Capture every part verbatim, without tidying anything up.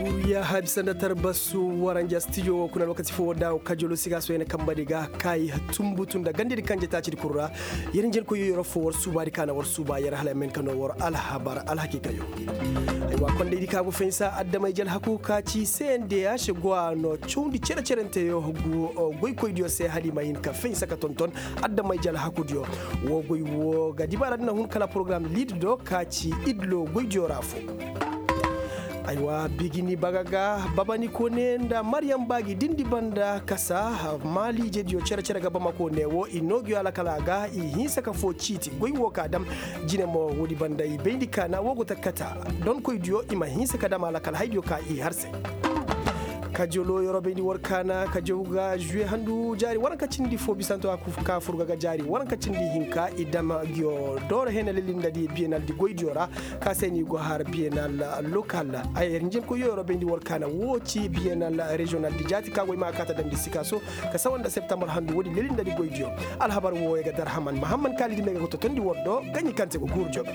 Buruya habisa nda tarbasu waranja stijo wo kuna lokaci fo da kajolo siga so yana kamba diga kai tumbutu nda gandidi kanje taci di kurra. Yar njen ko yoyoro fo war suba di kana war suba yar hala men kano war alhabar alhakikayo. Aywa konda idi kago fensa addamay jal haku kaci cndh gwano cundi cere cerente yo gu goy koy diyo se hali ma hin ka fensa ka tonton addamay jal haku diyo. Wo goy wo ga dibara dina hun kala program lid do kaci idlo goy diyo ra fo. Aywa bigini baga ga babani kone nda maryam bagi dindi banda kasa maliije diyo cere cere ga bamako ne wo i noogiyo alakala ga i hinsa ka fo ciiti goy wo ka dam. Jine mo wodi banda i bayndi kaana wo go takkata donkoy diyo i ma hinsa ka dam alakala hay diyo ka i har se. Kajolo yoro bayndi war kaana kajo ga juwe handu jaari waranka cindi fo bisanto ka furga ga jaari waranka cindi hinka i dama giyo dooro hena lilindadi biyenaldi goydiyo ra. Ka se ni go har biyenal lokal. Ay rinjin ko yoro bayndi war kaana wo ci biyenal regional di jaati ka goy ma kaata damndi sikaso ka sawa nda septambar handu woodi lilindadi goydiyo. Alhabar wo ya ga darhaman mahamman kaalidi me ga go totondi war do gaɲi kante go guuru joga.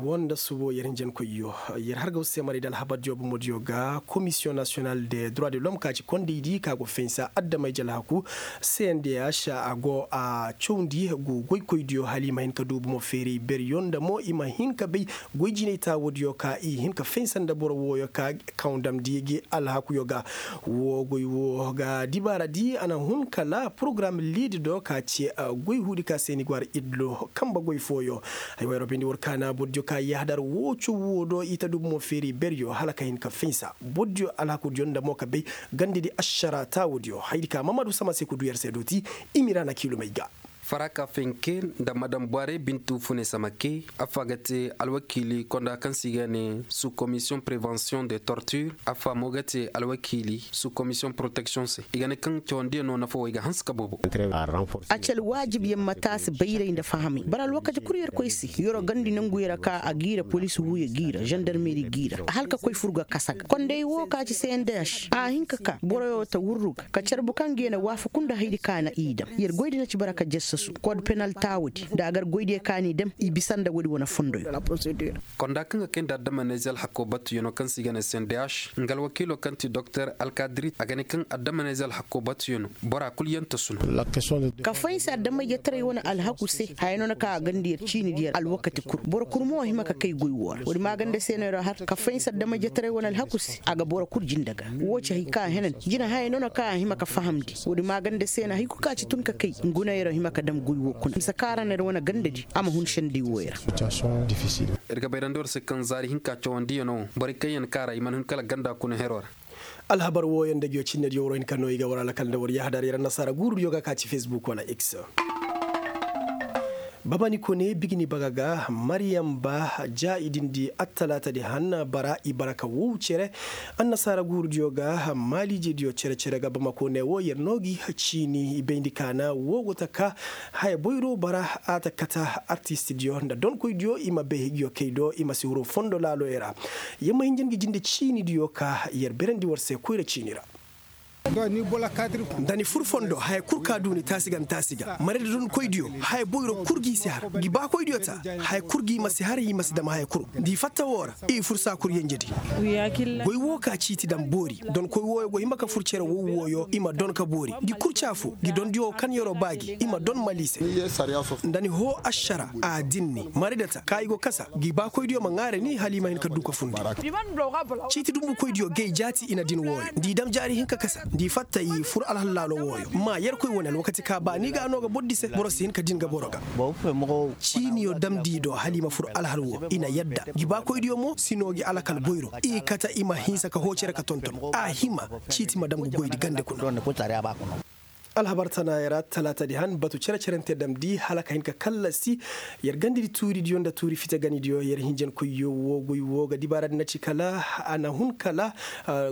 Wonda subo yer hinjankoyyo yer hargaw se maray da alhabar diyo bomodiyo ga komisiyoŋ nasiyonal de droit de l'homme ka ci kondaydi ka go fensa adamay jalhaku. Cndh a go a cawndi gu goykoydiyo hala i ma hin ka du bomo feeray beryo nda mo i ma hin ka bay goy jinay taawodiyo ka i hin ka fensa nda boro wooyo ka kaŋ damndi gi alhakuyo ga. Wo goy wo ga dibaaradi a na hun kala porogaram liidi do ka ci goy huudi ka se ni go har idlo kamba goy fooyo. Ay wayro bayndi war kaana bordiyo ka yahadar wo cawwo do i ta du bomo feeri beryo hala ka hin ka finsa bordiyo alhakudiyo nda mo ka bay gandedi ašara taawodiyo haydi ka mamadu sama se ka du yer se dooti. Imira na kiilumey ga. Faraka fenke nda madam bware bintu fune samake. Affa ga te alwakiili konda kaŋ se i ga ne sous commission prevention de torture. Affa mo ga te alwakiili sous commission protection se i ga ne kaŋ cawandiyaŋ no nafa wo i ga hanse ka boobo. A ci alwaajib yaŋ ma taasi bayray nda fahamay bara alwakati kul yer koy se. Yeroo gandi nanguyoo ra ka a giira poliisi wuuyo giira zandarmeri giira hala ka koy fur ga kasa ga konday woo ka ci cndh a hin ka ka boroyoo ta wurru ga ka carbu kaŋ ga ya na waafaku nda haydi ka na i dam yer goydi na ci bara ka jassasu kood penal taawudi nda a gar goydiyo ka n'i dam i bisa nda woodi wane fondoyo. Konda kaŋ ga kay nda addamanayze alhakoo batuyanoo kaŋ se i ga ne cndh nga alwakiiloo kaŋ ti doktor alkadiri a ga ne kaŋ addamanayze alhakoo batuyanoo bora kul yaŋ tasu no. Ka fahinsa adamay jataray wane alhaku se haya no na ka a ganda yer ciini di yer alwakati kul boro kul mo hima ka kay goy woo ra woodi maaganda se no yer har ka fahinsa adamay jataray wane alhaku se a ga boro kul jinda ga. Woo ci hay ka a henan jina haya no na ka a hima ka fahamndi woodi maaganda se no hay kul ka ci tun ka kay ngu no yer hima ka dam goy woo kuna misa ka ra no yer wane gandadi a ma hun senday wooyo ra. Ir ga bayrandi war se kaŋ zaari hinka cawandiyanoo borey kaŋ yaŋ kaara i mana hin kala ganda kuna heroo ra. Alhabar wooyaŋ nda ngiyo cinnediyo war hin ka no i ga war alakal nda war yahadar yer annasaara guurudiyo ga ka ci fesbuk wala x. Babani kone bigini baga ga maryam ba ja i dindi attalaatadi han bara i bara ka wow cere. Annasaara guurudiyo ga maaliijediyo cere cere ga bamako ne wo yer no gi ciini i bayndi kaana wo go taka haya boyro bara a ta kata artistidiyo nda donkoydiyo i ma bay higiyo kay do i ma si huru fondo laaloyo ra. Yer ma hinja ngi jinde ciinidiyo ka yer berandi war se koyra ciini ra. Nda ni fur fondo haya kul ka du ni taasi ga ni taasi ga mare nda donkoydiyo haya boyro kul g'i si har ngi baakoydiyo ta haya kul g'i ma si har i ma si dam haya kul nda i fatta woo ra i fur saa kul yenjedi. Goy woo ka ciiti dam boori donkoy wooyo go hima ka fur cere wow wooyo i ma don ka boori ngi kurca fo ngi dondiyo wo kaŋ yeroo baa gi i ma don maliise. Nda ni hoo ašara a dinni maridata ka i go kasa ngi baakoydiyo ma ŋaare ni hala i ma hin ka du ka fundi. Ciiti dumbukoydiyo gay jaati i na din wooyo nda i dam jaari hinka kasa nda i fatta i fur alhal laalo wooyo ma yerkoy wane alwakati ka ba ni ga a no ga boro di se boro si hin ka din ga boro ga. Ciiniyo damndi i do hala i ma fur alhal woo i na yadda ngi baakoydiyo mo si noo gi alakal boyro i kata i ma hinsa ka hoo cere ka tonton a hima ciiti ma dam ga goydi gande kuna. Alhabar tanaayoo ra talaatadi han batu cere-cerente damndi hala ka hin ka kallasi. Yer gandedi tuuridiyo nda tuuri fite ganidiyo yer hinjankoyyo woo goy woo ga dibaaradi na ci kala a na hun kala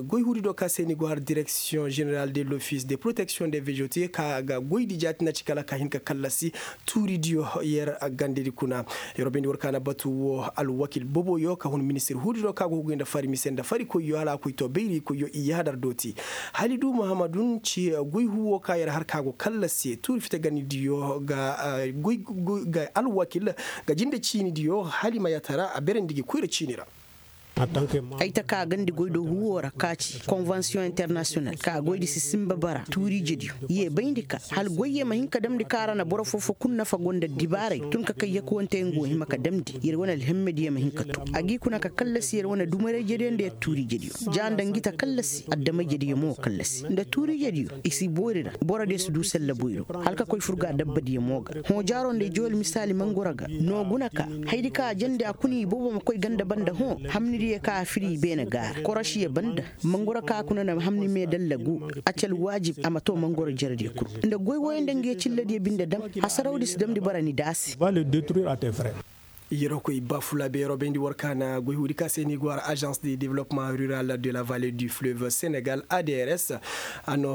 goy huudi do ka se ni go har direksiyoŋ ženeral de lofis de proteksiyoŋ de vežotiye ka ga goydi jaati na ci kala ka hin ka kallasi. Tuuridiyo yer gandedi kuna. Yer wo bayndi war ka na batu woo alwakil boboyo ka hun ministir huudi do ka go huguy nda fari mise nda farikoyyo hala a koy to bayrikoyyo i yaadar dooti. Halidu mahamadun ci goy huuwo ka yer ka go kallasi tuuri fite ganidiyo ga alwakil ga jinde ciinidiyo hala i ma yaatara a berandi gi koyra ciini ra. Ay ta ka gandi goy do huwo ra ka ci konvansiyoŋ internasiyonal ka goydi si sinba bara tuuriijediyo. Ye bayndi ka hala goyye ma hin ka damndi ka ra na boro foo-foo kul nafa go nda dibaaray tun ka kay yakuwante nga wo hima ka damndi yer wane alhemmediyo ma hin ka too a g'i kuna ka kallasi yer wane dumarayjediyo nda yer tuuriijediyo. Ja nda ngi ta kallasi addamayjediyo mo kallasi nda tuuriijediyo i si boori ra borodiyo si du sella boyro hala ka koy fur ga dabbadiyo mo ga hõ jaaro nda i jowel misaali mangoro ga. No guna ka hayadi ka a jandi a kuna i boobo ma koy ganda banda hõ hamnidiyo ka a firi i beene gaara korosiyo banda mangoro ka a kuna na hamni me dalla gu. A ci alwaajib a ma too mangoro jerediyo kul nda goy wooyo nda ngi ye cilladiyo binde dam hasarawdi si damndi bara ni daasi. Yeroo koy bafulaabe yeroo bayndi war ka na goy huudi ka se ni go har agence de développement rural de la vallée du fleuve sénégal adrs. A no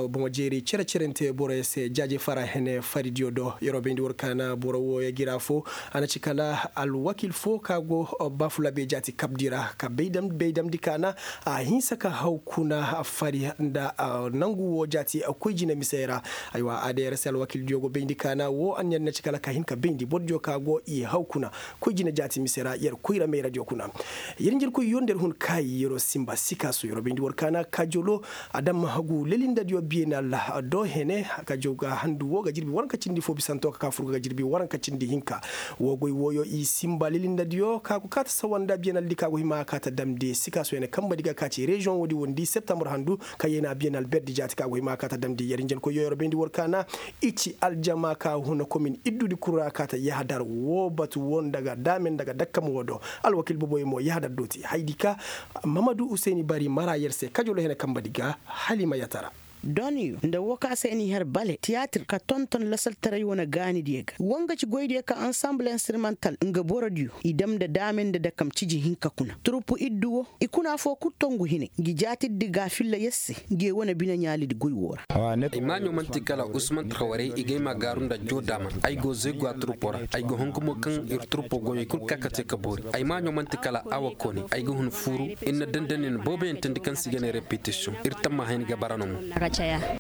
boŋo jeeri cere-cerente boroyo se jaaje fara hene faridiyo do yeroo bayndi war ka na boro wooyo gira fo. A na ci kala alwakil fo ka go bafulaabe jaati kabdi ra ka baydamdi ka na a hinsa ka haw kuna fari nda nangu woo jaati koy jine misey ra. Aywa adrs alwakildiyo go bayndi ka na woo anniya na ci kala ka hin ka bayndi bordiyo ka go i haw kuna koy jine jaati mise ra yer koyra mayradiyo kuna. Yer njirkoy yo nda yer hun kaayi yeroo sinba sikaaso yeroo bayndi war kaana kaajolo a dam hagu lelindadiyo biyenal do hene. Kaajo ga handu woo ga jirbi waranka cindi foo bisanto ka kaa fur ga jirbi waranka cindi hinka. Woo goy wooyo i sinba lelindadiyo ka go kaata sawa nda biyenaldi ka go hima kaata damndi sikaaso hene kambadi ga ka ci reziyoŋ woodi wondi septambur handu. Kaŋ yee na biyenal berdi jaati ka go hima kaata damndi yer njenkoy yo yeroo bayndi war kaana. I ci aljama ka huna komin iddudi kul ra kaata yahadar woo batu woo nda ga daamen nda ga dakkam woo do. Alwakil boboyo mo yahadar dooti hayadi ka mamadu useni bari mara yer se kajolo hene kambadi ga. Hala i ma yatara. Donyo nda woo ka se ni har bale tiyatir ka tonton lasaltaray wane gaanidiyo ga woo nga ci goydiyo ka ansamble instrumental nga borodiyo i dam nda daamen nda dakkam ciji hinka kuna turuppu iddu woo. I kuna foo kul tongu hine ngi jaatirdi ga filla yer se. Ngi ye wane bine ɲaalidi goy woo ra. Ay maaɲo man'ti kala usman trawaray i gay ma gaaru nda joo daaman ay go zeegu a turpo ra. Ay go hungumo kaŋ ir turpo goyey kul ka ka te ka boori ay maaɲo man'ti kala awa kooni ay ga hun fuuru. Ir na dandanin booboyaŋ teendi kaŋ se i ga ne repetisiyoŋ ir tammaha yaŋ ga bara no mo.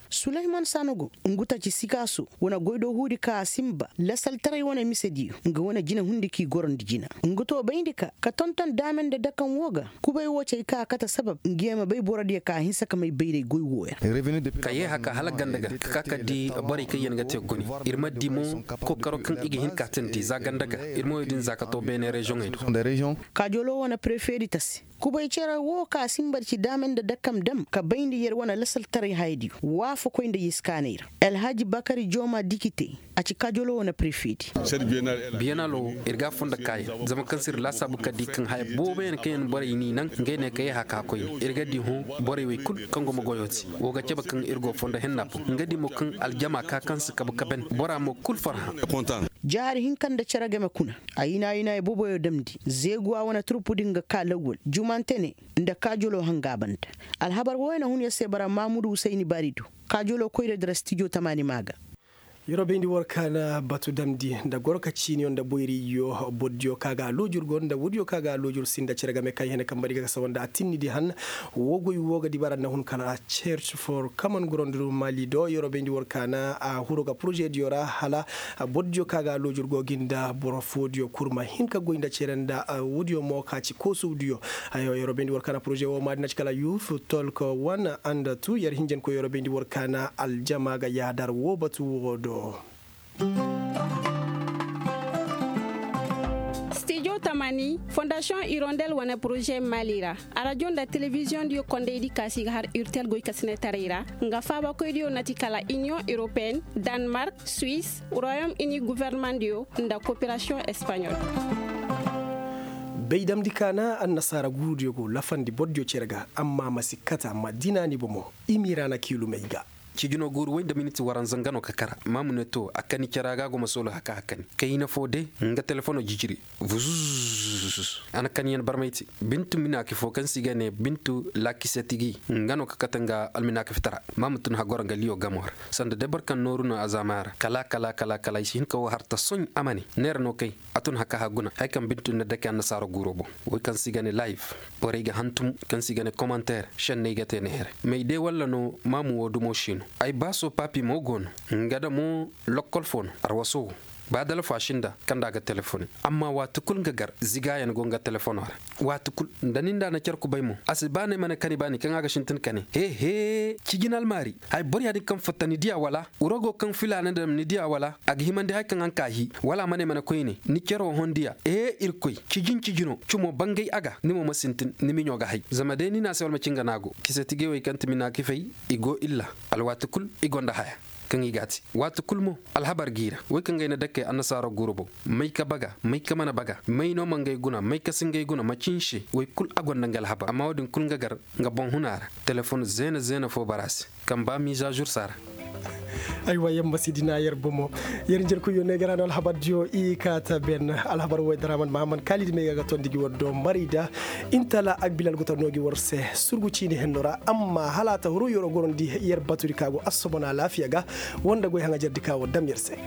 Sulayman sanogo ngu taci sikaaso wane goydoo huudi ka a sinba lasaltaray wane misediyo nga wane jinahundi k'i gorondi jina. Ngu too bayndi ka ka tonton daame nda dakaŋ woo ga. Kubay woo cay ka a kate sabab ngi ye ma bay borodiyo ka a hinsa ka may bayray goy woo yaŋ. Ka yee haka hala ganda ga ka ka ka di borey kaŋ yaŋ ga te guni. Ir ma di mo kookaro kaŋ i ga hin ka teendi za ganda ga. Ir ma woy din za ka too beene reziyoŋey do. Kaajoloo wane prefeedi tasi. Kubay cere woo ka sinba ci daame nda dakam dam ka bayndi yer wane lasaltaray hayadiyo waafakoy nda yeskaanay ra. Alhaji bakari jooma dikite. A ci kaajoloo wane prefeedi. Biyanaloo ir ga a foo nda kaayaŋ zama kaŋ se ir laasaabu ka di kaŋ haya booboyaŋ kaŋ yaŋ borey n'i naŋ ngey ne ka yee haka koyne ir ga di hõ. Borey wey kul kaŋ go ma goyoo te woo ga cabe kaŋ ir go foo nda henna boŋ nga di mo kaŋ aljama ka kaŋ si kabu ka ban bora mo kul farhã. Jaari hinka nda cere game kuna. Ayina ayina ay boboyo damndi zeeguwa wane turpudi nga ka lawwal jumante ne. Nda kaajoloo hanga banda. Alhabar wooyo na hun yer se bara mamudu husayni baari do. Kaajoloo koyra dira stijo tamaani maa ga. Yeroo bayndi war ka na batu damndi nda goro ka ciiniyo nda boyriyo bordiyo ka ga a loojur go nda woodiyo ka ga a loojur sinda cere game kaŋ hene kambadi ga ka sawa nda a tinnidi han. Woo goy woo ga dibara nda hun kala church for common ground mali do yeroo bayndi war ka na a huru ga porozediyo ra hala. Bordiyo ka ga a loojur go gi nda boro foodiyo kul ma hin ka goy nda cere nda woodiyo mo ka ci koosudiyo. Yeroo bayndi war ka na poroze woo maadi na ci kala yuf tolk wan anda tu yer hinjankoy yeroo bayndi war ka na aljama ga yaadar woo batu woo do. Stijo tamani fondasiyoŋ irondel wane poroze mali ra. Arajo nda telebiziyoŋ diyo kondaydi kaasi ga har urtel goy kasinetaray ra nga faabakoy diyo na ti kala iniyoŋ europeen, danmark, suwis, royom ini guverneman diyo, nda koperasiyoŋ espaɲol. Bay damndi kaana annasaara guuru diyo go lafandi boro diyo cere ga amma ma si kata ma dina ni bomo. Imiiraana kiilumey ga. Cijinoo guuru woy nda miniti waranza nga no ka kara maamu ne to a kani cara ga go ma soolu haka a kani kayna foo de. Nga telefonoo jijiri. Vuzuzuzuzuzuz. A na kaniyaŋ barmay te. Bintu minaaki foo kaŋ se i ga ne bintu laakisatigi nga no ka kate nga alminaaki fitara. Maamu tun hagoro nga liyo gamoo ra. Sanda day boro kaŋ nooru no a zaama ra kala kala kala kala i si hin ka woo har ta soɲ a ma ne. Neera no kay. A tun haka haguna haya kaŋ bintu na dake annasaara guuroo boŋ. Woy kaŋ se i ga ne layif. Borey ga hantum kaŋ se i ga ne komanteer. Šenney ga te neera. May de walla no maamu woo dumo šin. Ay baaso paapi mo go no. Nga da mo lokkol fo no. Arwaso wo. Ba dalfo a sinda kaŋ nda a ga telefoni. Amma waati kul nga gar zigaayaŋ go nga telefonoo ra. Waati kul nda ni nda na car kubay mo a si ba no ay ma ne kani baani kaŋ a ga sintin kani he he. Cijin almaari. Hay boro yaadin kaŋ fatta ni diya wala? Wuro go kaŋ filaana nda ni diya wala? A ga himandi hay kaŋ a nka a hii. Wala a ma ne ay ma ne koyne ni caro hondiya. Ee irkoy, cijin cijino cumo bangay a ga ni mo ma sintin ni miɲo ga hay zama day ni na a se wala ma cinga no a go. Kisa tigey wey kaŋ ti mina kifay. I go illa. Alwaati kul i gonda haya kaŋ i ga a te. Waati kul mo alhabar g'i ra. Wey kaŋ ga ay na dakkey annasaaroo gurubo. May ka baga, may ka mana baga, may no ma ngay guna, may ka si ngay guna macin se. Wey kul a gonda nga alhabar amma wo-din kul nga gar nga boŋ huna ra. Telefon zeena zeena fo bara se kaŋ ba miizaazur si a ra. Aywa yer ma si dina yer bomo. Yer njerkoyyo ne ga ra no alhabardiyo i kaata ben. Alhabar wey daraman mahammad kaalidi may ga ga tondi gi war do marayda. Intala agbilal go ta no gi war se. Surgu ciini henno ra amma hala a ta huru yer gorondi yer batudi ka go assobon alaafiya ga. Wanda goy haŋajerdi ka war dam yer se.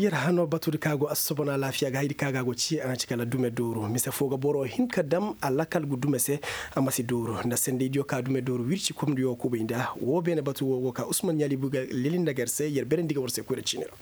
Yer hano batudi ka go assobon alaafiya ga haydi ka ga go ci a na ci kala dume dooru mise fo ga boro hin ka dam a lakal gu dume se. A ma si dooru nda sendeydiyo ka dume dooru wirci komdiyo kubay nda wo beene batu wo go ka usman ɲaali buga lelin nda ga yer se yer berendi ga war se koyra ciini ra.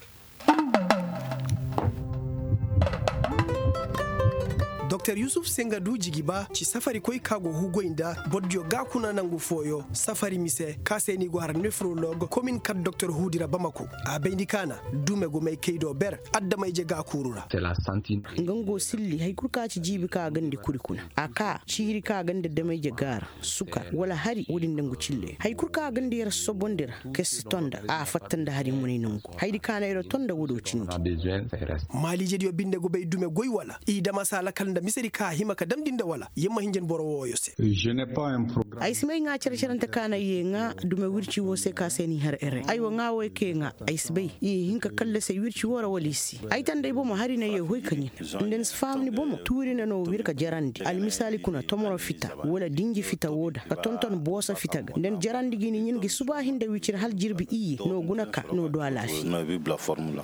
Doktor yusuf sengadu jigiba ci safarikoy ka go hugoy nda bordiyo ga kuna nangu fooyo safari mise ka se ni go har nefrolog komin kat doktor huudi ra bamako. A bayndi kaana dume go may kay do ber adama-ije ga kuuru ra. Nga nga go silli hari kul ka ci jiibi ka gandi kuri kuna a ka ciiri ka gandi adama-ije ga ra. Sukar wala hari wo-din dangu cille hari kul ka gandi yer sobondi ra. Kay si tonda a fatta nda hari munay nangu haydi ka na yer tonda wo-do cindi. Maaliijediyo binde go bay dume goy wala i dama se alakal nda misedi ka hima ka damndi nda wala yer ma hinja ni boro wooyo se. Ay si may ŋaa cere-cerante ka na ye ŋaa dume wirci woo se ka se ni har ere ay wa ŋaa wo ay ke ŋaa. Ay si bay i hin ka kallase wirci woo ra wala i si ay tanda ay bomo hari na ye hoy ka ɲin. Nda ni si faham ni bomo tuuri na no wir ka jarandi almisaali kuna tomoro fita wala dinji fita woo da ka tonton booso fita ga nda ni jarandi gi ni ɲin gi suba hinda wicir hala jirbi iyye no guna ka no du alaafiya.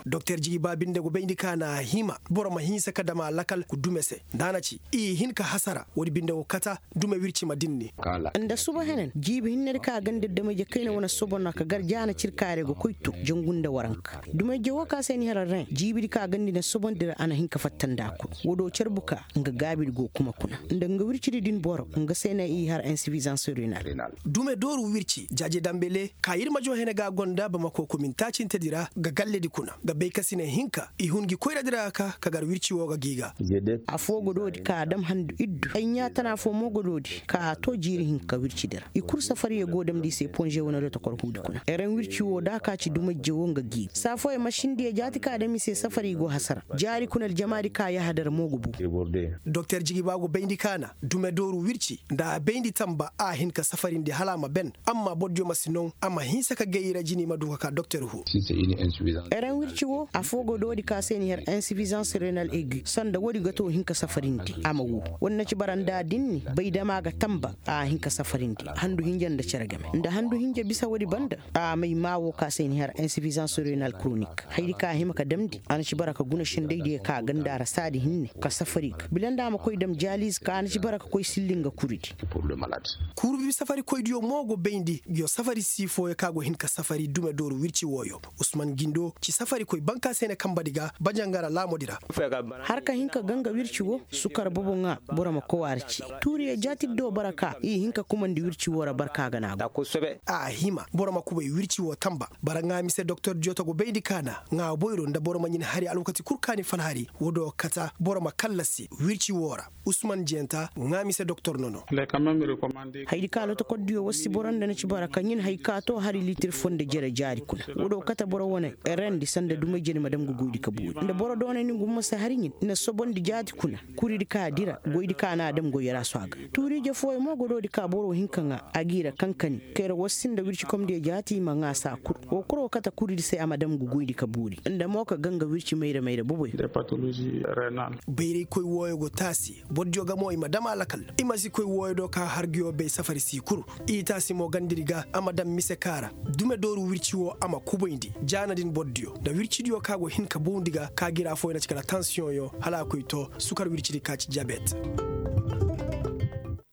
Doktor jigiba binde go bayndi ka na a hima boro ma hinsa ka dama lakal ku dume se nda a na ci i hin ka hasara woodi binde go kata. Dume wirci ma dinni. Nda suba henen jiibi hinnedi ka gandi adama-ije kayna wane sobon ra ka gar jaana cirkaare go koy to jangu nda waranka. Duma-ije wo ka se ni hara ren jiibidi ka gandi na sobondi ra a na hin ka fatta nda a kul. Wo-do carbu ka nga gaabidi go kuma kuna nda nga wircidi din boro nga se na i har insifizans renal. Dume dooru wirci jaaje dambele ka yirmajo hene ga gonda bamako komin taacintedi ra ga galledi kuna ga bay ka si ne hinka i hun gi koyradi ra ka ka gar wirci wo ga gi ga. Afoo godoodi ka a dam handu iddu ay ɲaatana foo mo godoodi ka a too jiiri hinka wircidi ra i kul safariyo go damndi i se ponže wane lotokor huudi kuna eren wirci woo da ka ci duma ijje woo nga giibi saa fooyo masindiyo jaati ka dam i se safari go hasara jaari kuna aljamaadi ka yahadar mo go buu. Doktor jigiba go bayndi ka na dume dooru wirci nda a bayndi tamba a hin ka safarindi hala a ma ben. Amma bordiyo ma si naw a ma hinsa ka gay i ra jini ma du ka ka doktor huu. Eren wirci woo afoo go doodi ka se ni har insifizans renal egi sanda woodi ga too hin ka safarindi a ma wuu. Woodi na ci bara nda a dinni bay dama ga tamba a hin ka safarindi handu hinja nda cere game nda handu hinja bisa woodi banda. A may maa woo ka se ni har insifizans renal kronik haydi ka a hima ka damndi a na ci bara ka guna sendaydiyo ka a ganda ra saadi hinne ka safari ga bila nda a ma koy dam jaaliize ka a na ci bara ka koy silli nga kuridi. Kurubi safarikoydiyo mo go bayndi yo safari sii fooyo ka go hin ka safari dume dooru wirci wooyo. Usman gindo ci safarikoy banka se ne kanbadi ga bajangara laamodi ra. Har ka hin ka ganga wirci woo sukar bobo ŋaa boro ma kowaari ci tuuriyo jaatidi do bara ka i hin ka kumandi wirci woo ra barka ga naagu. A hima boro ma kubay wirci woo tamba bara ŋaa mise doktordiyo ta go bayndi ka na ŋaa boyro nda boro ma ɲin hari alwakati kul ka ni fal hari woo do kata boro ma kallasi wirci woo ra. Usman jenta ŋaa mise doktor nono. Haydi ka lotokordiyo wassi boro nda na ci bara ka ɲin hay ka too hari litir foo nda jere jaari kuna woo do kate boro wane. Rendi sanda dumay jere ma dam ga goydi ka boori nda boro doonay ni ngu ma se hari ɲin na sobondi jaati kuna. Kuridi ka dira goydi ka na a dam goyaraaso a ga tuuriije fooyo mo godoodi ka boro hinka ŋaa a g'i ra kankani. Kayra wassi nda wircikomdiyo jaati i ma ŋaa saa kul woo kul woo kate kuridi se a ma dam ga goydi ka boori nda mo ka ganga wirci mayra mayra boboyo. Bayraykoy wooyo go taasi bordiyo ga mo i ma dam a lakal. I ma si koy wooyo do ka harguyo bay safari sii kul. I taasi mo gandiri ga a ma dam mise ka ra dume dooru wirci woo a ma kubayndi jaana din bordiyo nda wircidiyo ka go hin ka bawndi ga ka gira fooyo na ci kala tansiyoŋyo hala a koy too sukar wircidi ka ci jabet.